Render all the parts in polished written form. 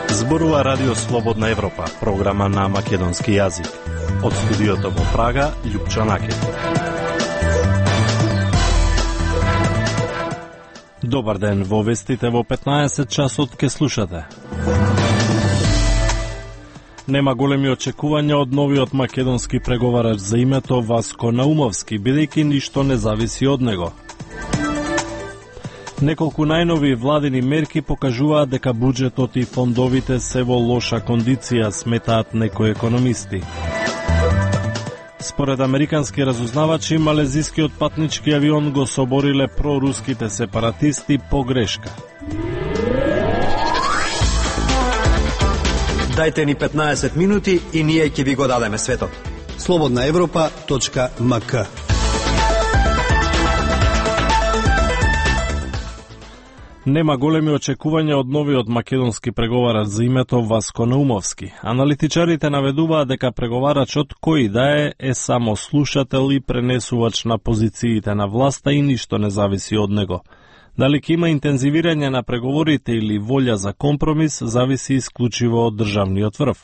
Зборува Радио Слободна Европа, програма на македонски јазик. Од студиото во Прага, Љупчо Накет. Добар ден, во вестите во 15 часот ке слушате. Нема големи очекувања од новиот македонски преговарач за името Васко Наумовски, бидејќи ништо не зависи од него. Неколку најнови владини мерки покажуваат дека буџетот и фондовите се во лоша кондиција, сметаат некои економисти. Според американски разузнавачи, малезискиот патнички авион го собориле проруските сепаратисти по грешка. Дајте ни 15 минути и ние ќе ви го дадеме светот. slobodnaevropa.mk. Нема големи очекувања од новиот македонски преговарач за името Васко Наумовски. Аналитичарите наведуваат дека преговарачот кој да е само слушател и пренесувач на позициите на власта и ништо не зависи од него. Дали ќе има интензивирање на преговорите или волја за компромис, зависи исклучиво од државниот врв.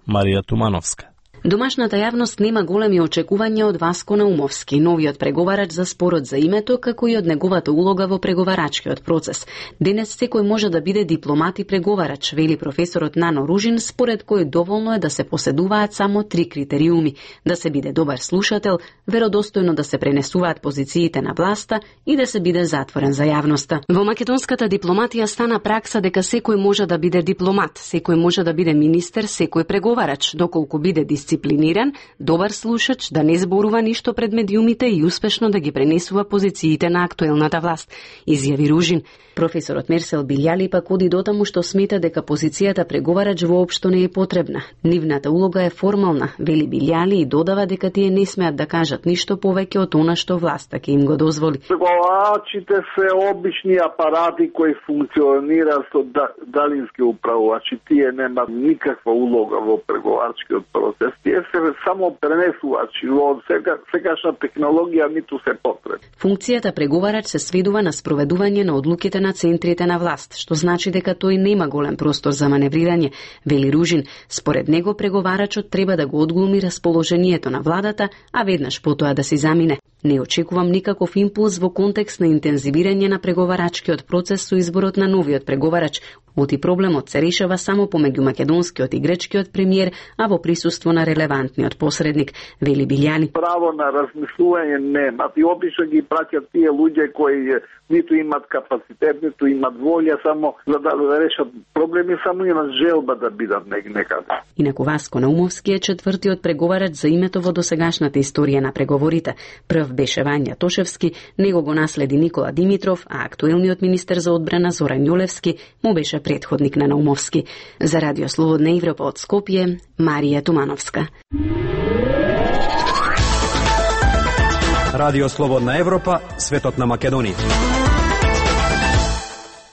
Марија Тумановска. Домашната јавност нема големи очекувања од Васко Наумовски, новиот преговарач за спорот за името, како и од неговата улога во преговарачкиот процес. Денес секој може да биде дипломат и преговарач, вели професорот Нано Ружин, според кој доволно е да се поседуваат само 3 критериуми: да се биде добар слушател, веродостојно да се пренесуваат позициите на власта и да се биде затворен за јавноста. Во македонската дипломатија стана пракса дека секој може да биде дипломат, секој може да биде министер, секој преговарач, доколку биде дисциплиниран, добар слушач, да не зборува ништо пред медиумите и успешно да ги пренесува позициите на актуелната власт, изјави Ружин. Професорот Мерсел Билјали пак оди дотаму што смета дека позицијата преговарач воопшто не е потребна. Нивната улога е формална, вели Билјали, и додава дека тие не смеат да кажат ништо повеќе од она што власта ќе им го дозволи. Преговарачите се обични апарати кои функционираат со далински управувачи. Тие немаат никаква улога во преговарачкиот процес. Тие се само пренесувачи. Во сегашна технологија ниту се потребни. Функцијата преговарач се сведува на спроведување на одлуките на центрите на власт, што значи дека тој нема голем простор за маневрирање, вели Ружин. Според него преговарачот треба да го одглуми расположението на владата, а веднаш потоа да си замине. Не очекувам никаков импулс во контекст на интензивирање на преговарачкиот процес со изборот на новиот преговарач. Оти проблемот се решава само помеѓу македонскиот и гречкиот премиер, а во присуство на релевантниот посредник, вели Билјани. Право на размислување немат и обично ги праќат тие луѓе кои ниту имат капацитет, ниту имат волја, само за да решат проблеми, само имат желба да бидат некаде. Инаку Васко Наумовски е четвртиот преговарач за името во досегашната историја на преговорите. Прв беше Вања Тошевски, него го наследи Никола Димитров, а актуелниот министер за одбрана Зоран Јолевски му беше предходник на Наумовски. За Радио Слободна Европа од Скопје, Марија Тумановска. Радио Слободна Европа, светот на Македонија.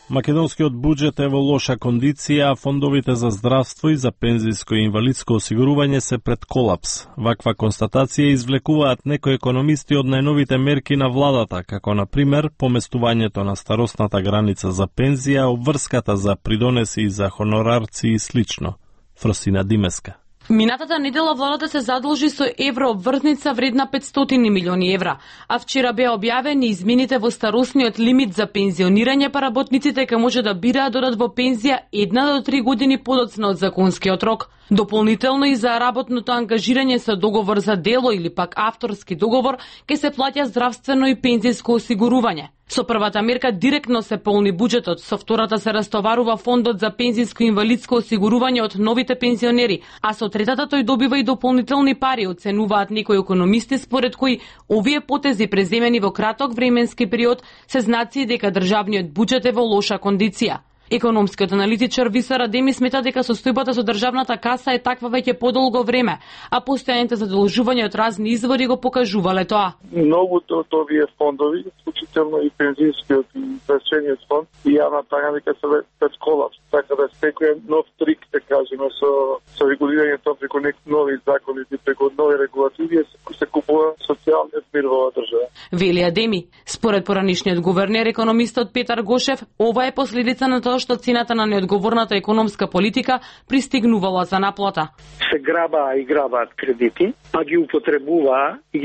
Македонскиот буџет е во лоша кондиција, а фондовите за здравство и за пензиско и инвалидско осигурување се пред колапс. Ваква констатација извлекуваат некои економисти од најновите мерки на владата, како на пример поместувањето на старосната граница за пензија, обврската за придонеси и за хонорарци и слично. Фросина Димеска. Минатата недела владата се задолжи со еврообврзница вредна 500 милиони евра, а вчера беа објавени измените во старосниот лимит за пензионирање, па работниците ќе може да бираат додат во пензија 1 до 3 години подоцна од законскиот рок. Дополнително и за работното ангажирање со договор за дело или пак авторски договор ќе се плаќа здравствено и пензиско осигурување. Со првата мерка директно се полни буџетот, со втората се растоварува фондот за пензиско и инвалидско осигурување од новите пензионери, а со третата тој добива и дополнителни пари, оценуваат некои економисти, според кои овие потези преземени во краток временски период се знаци дека државниот буџет е во лоша кондиција. Економскиот аналитичар Висар Адеми смета дека состојбата со државната каса е таква веќе подолго време, а постојаните задолжувања од разни извори го покажувале тоа. Многуто од овие фондови, вклучително и пензијскиот и инвестицијниот фонд, и јавната економика се пред колапс, така да секој нов трик, да кажеме, со регулирањето преку нови закони и преку нови регулативи се купува социјалниот мир во оваа држава. Вели Адеми, според поранишниот гувернер економистот Петар Гошев, ова е последица на тоа што цената на неодговорната економска политика пристигнувала за наплата. Се грабаат кредити, а ги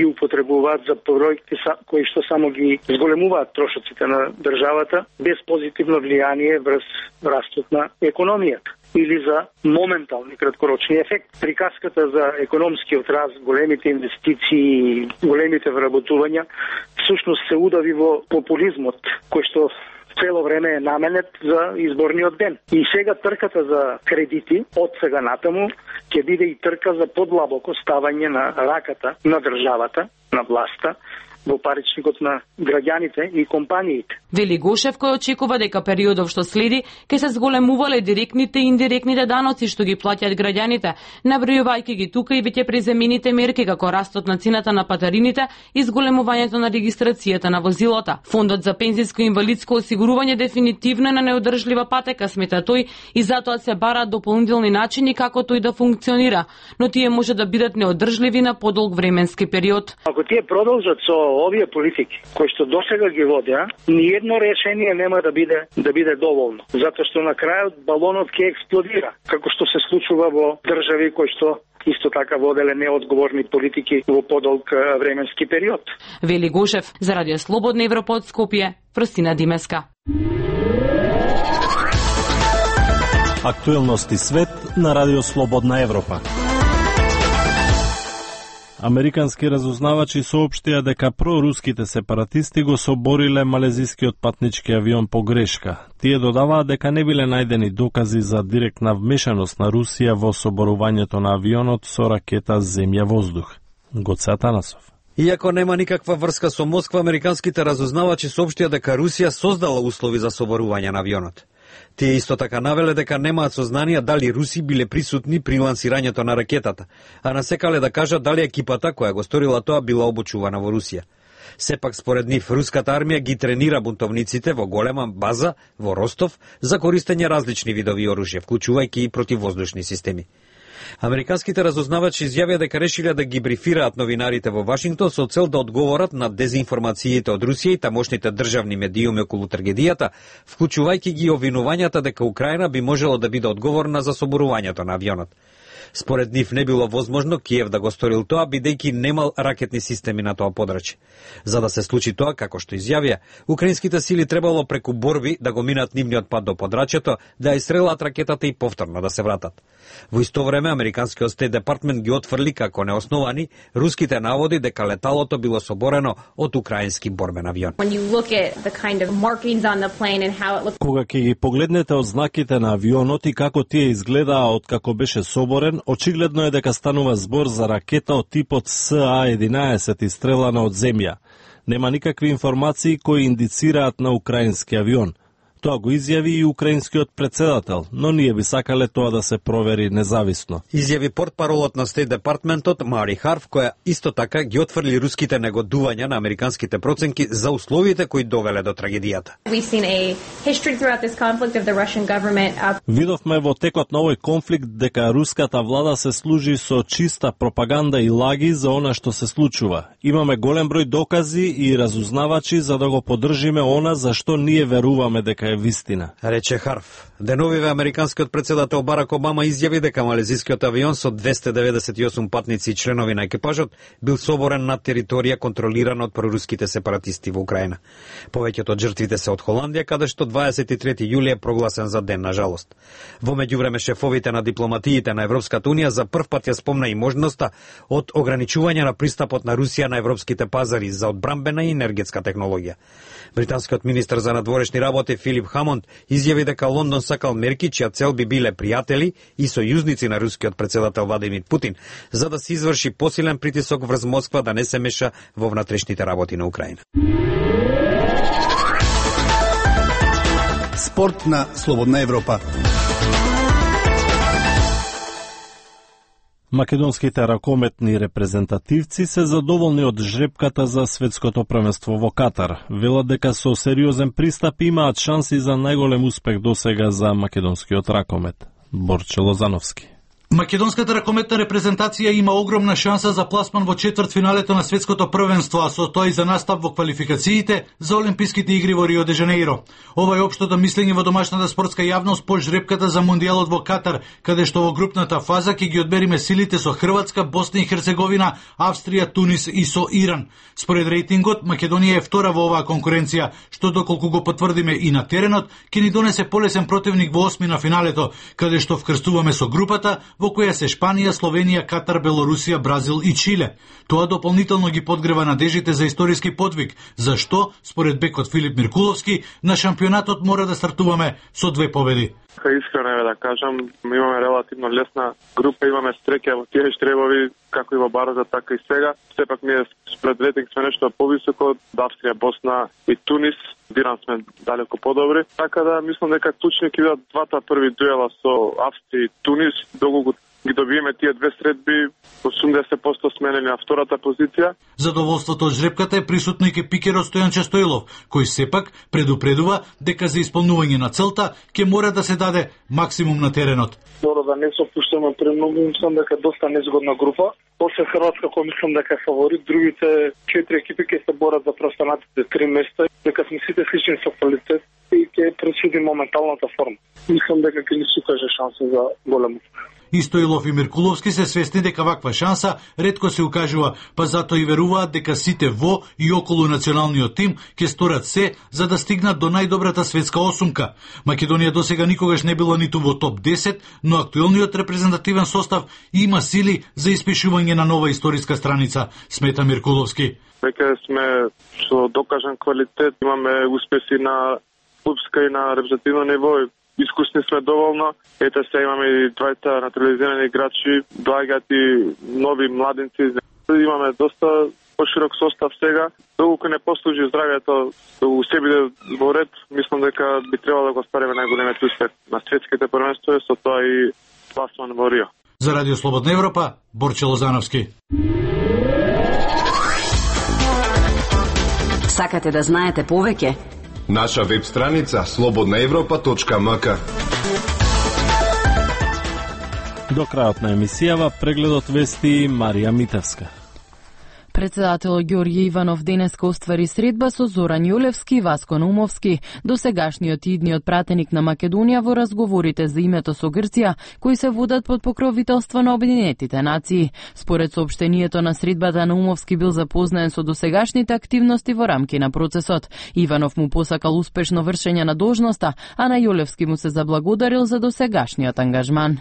употребуваат за проекти кои што само ги зголемуваат трошоците на државата без позитивно влијание врз растот на економијата или за моментални краткорочни ефекти. Приказката за економскиот раст, големите инвестиции, големите вработувања, всушност се удави во популизмот, кој што цело време е наменет за изборниот ден. И сега трката за кредити, од сега натаму, ќе биде и трка за подлабоко ставање на раката на државата, на власта, во паричникот на граѓаните и компаниите. Вели Гошев, кој очекува дека периодов што следи ќе се зголемувале директните и индиректните даноци што ги плаќаат граѓаните, набројувајќи ги тука и веќе преземените мерки како растот на цената на патарините и зголемувањето на регистрацијата на возилата. Фондот за пензиско и инвалидско осигурување дефинитивно е на неодржлива патека, смета тој, и затоа се бараат дополнителни начини како тој да функционира, но тие може да бидат неодржливи на подолг временски период. Ако тие продолжат со овие политики кои што досега ги водеа, ни едно решение нема да биде доволно, затоа што на крајот балонот ќе експлодира, како што се случува во држави кои што исто така воделе неодговорни политики во подолг временски период. Вели Гошев, за Радио Слободна Европа од Скопје, Фростина Димеска. Актуелности свет на Радио Слободна Европа. Американски разузнавачи соопштија дека проруските сепаратисти го собориле малезискиот патнички авион по грешка. Тие додаваат дека не биле најдени докази за директна вмешаност на Русија во соборувањето на авионот со ракета земја-воздух. Гоце Атанасов. Иако нема никаква врска со Москва, американските разузнавачи соопштија дека Русија создала услови за соборување на авионот. Тие исто така навеле дека немаат сознанија дали руси биле присутни при лансирањето на ракетата, а насекале да кажат дали екипата која го сторила тоа била обучувана во Русија. Сепак според нив руската армија ги тренира бунтовниците во голема база во Ростов за користење различни видови оружје, вклучувајќи и противвоздушни системи. Американските разузнавачи изјавија дека решиле да ги брифираат новинарите во Вашингтон со цел да одговорат на дезинформациите од Русија и тамошните државни медиуми околу трагедијата, вклучувајќи ги обвинувањата дека Украина би можела да биде одговорна за соборувањето на авионот. Според нив не било возможно Киев да го сторил тоа, бидејќи немал ракетни системи на тоа подрачје. За да се случи тоа, како што изјавија, украинските сили требало преку борби да го минат нивниот пат до подрачјето, да ја истрелат ракетата и повторно да се вратат. Во исто време, американскиот Стейт департмент ги отфрли како неосновани руските наводи дека леталото било соборено од украински борбен авион. Кога ќе ги погледнете одзнаките на авионот и како тие изгледаа од како беше соборен, очигледно е дека станува збор за ракета од типот СА-11 истрелана од земја. Нема никакви информации кои индицираат на украински авион. Тоа го изјави и украинскиот председател, но ние би сакале тоа да се провери независно. Изјави портпаролот на Стейт департментот Мари Харф, која исто така ги отфрли руските негодувања на американските проценки за условите кои довеле до трагедијата. Видовме во текот на овој конфликт дека руската влада се служи со чиста пропаганда и лаги за она што се случува. Имаме голем број докази и разузнавачи за да го поддржиме она за што ние веруваме дека е вистина, рече Харф. Деновиве американскиот председател Барак Обама изјави дека малезискиот авион со 298 патници и членови на екипажот бил соборен на територија контролирана од проруските сепаратисти во Украина. Повеќето од жртвите се од Холандија, каде што 23 јули е прогласен за ден на жалост. Во меѓувреме шефовите на дипломатиите на Европската унија за прв пат ја спомна и можноста од ограничување на пристапот на Русија на европските пазари за одбрамбена и енергетска технологија. Британскиот министар за надворешни работи Филип Хамонд изјави дека Лондон сакал мерки чија цел би биле пријатели и сојузници на рускиот председател Владимир Путин, за да се изврши посилен притисок врз Москва да не се меша во внатрешните работи на Украина. Спорт на Слободна Европа. Македонските ракометни репрезентативци се задоволни од жребката за светското првенство во Катар. Велат дека со сериозен пристап имаат шанси за најголем успех досега за македонскиот ракомет. Борче Лозановски. Македонската ракометна репрезентација има огромна шанса за пласман во четвртфиналето на светското првенство, а со тоа и за настап во квалификациите за Олимписките игри во Рио де Жанеиро. Ова е општото мислење во домашната спортска јавност по жребката за Мондијалот во Катар, каде што во групната фаза ќе ги одмериме силите со Хрватска, Босна и Херцеговина, Австрија, Тунис и со Иран. Според рейтингот, Македонија е втора во оваа конкуренција, што доколку го потврдиме и на теренот, ќе ни донесе полесен противник во осми на финалето, каде што вкрстуваме со групата во која се Шпанија, Словенија, Катар, Белорусија, Бразил и Чиле. Тоа дополнително ги подгрева надежите за историски подвиг, зашто, според бекот Филип Миркуловски, на шампионатот мора да стартуваме со 2 победи. Искрено е да кажам, имаме релативно лесна група, имаме стреќа во тие штребови, како и во бароза, така и сега. Сепак ние спред рейтинг сме нешто повисоко од Австрија, Босна и Тунис. Иран сме далеко подобри. Така да мислам дека клучни ќе бидат двата први дуела со Австрија и Тунис, доколку ги добиеме тие 2 средби, 80% сменени на втората позиција. Задоволството од жребката е присутно и ке пикерот Стојанче Стоилов, кој сепак предупредува дека за исполнување на целта ќе мора да се даде максимум на теренот. Добро да не се опуштаме премногу, мислам дека доста незгодна група. После Хрватска, кој мислам дека е фаворит, другите 4 екипи ќе се борат за преостанатите 3 места, дека сме сите слични со квалитет и ќе пресуди моменталната форма. Мислам дека ќе ни се укаже шанса за голем успех. И Стоилов и Миркуловски се свесни дека ваква шанса ретко се укажува, па затоа и веруваат дека сите во и околу националниот тим ќе сторат се за да стигнат до најдобрата светска осумка. Македонија досега никогаш не била ниту во топ 10, но актуелниот репрезентативен состав има сили за испишување на нова историска страница, смета Миркуловски. Веќе сме со докажан квалитет, имаме успеси на клубска и на репрезентативно ниво. Искусни сме доволно. Ете се имаме и двајца натурализирани играчи, доаѓаат и нови младинци. Имаме доста поширок состав сега. Доколку не послужи здравјето у се биде во ред, мислам дека би требало да го ствариме најголемиот успех на светските првенства, со тоа и пласман во Рио. За Радио Слободна Европа, Борче Лозановски. Сакате да знаете повеќе? Наша веб страница slobodnaevropa.mk. До крајот на емисијава прегледот вести Марија Митевска. Председател Ѓорѓе Иванов денеска оствари средба со Зоран Јолевски и Васко Наумовски, досегашниот и идниот пратеник на Македонија во разговорите за името со Грција, кои се водат под покровителство на Обединетите нации. Според соопштението на средбата, Наумовски бил запознаен со досегашните активности во рамки на процесот. Иванов му посакал успешно вршење на должноста, а на Јолевски му се заблагодарил за досегашниот ангажман.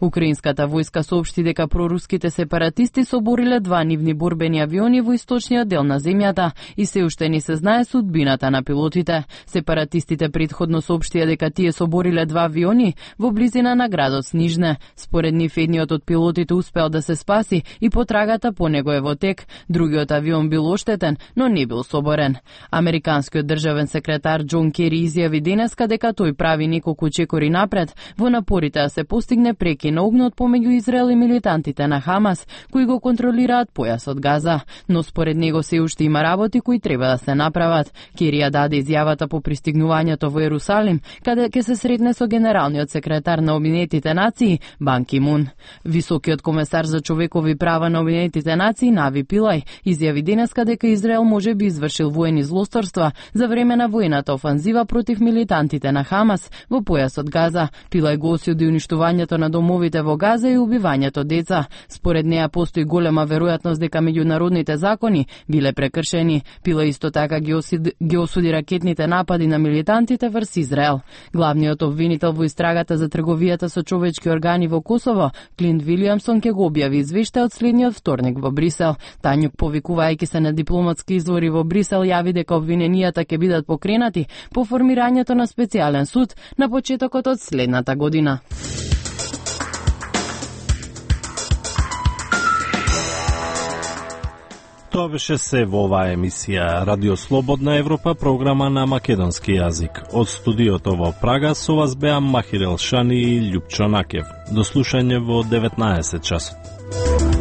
Украинската војска соопшти дека проруските сепаратисти собориле 2 нивни борбени авиони во источниот дел на земјата и се уште не се знае судбината на пилотите. Сепаратистите претходно соопштија дека тие собориле 2 авиони во близина на градот Снижне. Според нив едниот од пилотите успеал да се спаси и потрагата по него е во тек. Другиот авион бил оштетен, но не бил соборен. Американскиот државен секретар Џон Кери изјави денеска дека тој прави неколку чекори напред во напорите да се постигне прекин на огнот помеѓу Израел и милитантите на Хамас, кои го контролираат појасот Газа. Но според него се уште има работи кои треба да се направат. Кери ја даде изјавата по пристигнувањето во Ерусалим, каде ќе се сретне со генералниот секретар на Обединетите нации Бан Ки Мун. Високиот комесар за човекови права на Обединетите нации Нави Пилај изјави денеска дека Израел може би извршил воени злосторства за време на воената офанзива против милитантите на Хамас во појасот Газа. Пилај го осуди уништувањето на домовите во Газа и убивањето деца. Според неа постои голема веројатност дека меѓународните закони биле прекршени. Пила исто така ги осуди ракетните напади на милитантите врз Израел. Главниот обвинител во истрагата за трговијата со човечки органи во Косово, Клинт Вилијамсон, ќе го објави извештај од следниот вторник во Брисел. Тањук, повикувајќи се на дипломатски извори во Брисел, јави дека обвиненијата ќе бидат покренати по формирањето на специјален суд на почетокот од следната година. Тоа беше се во оваа емисија Радио Слободна Европа, програма на македонски јазик. Од студиото во Прага со вас беа Махир Елшани и Љупчо Накев. До слушање во 19 часот.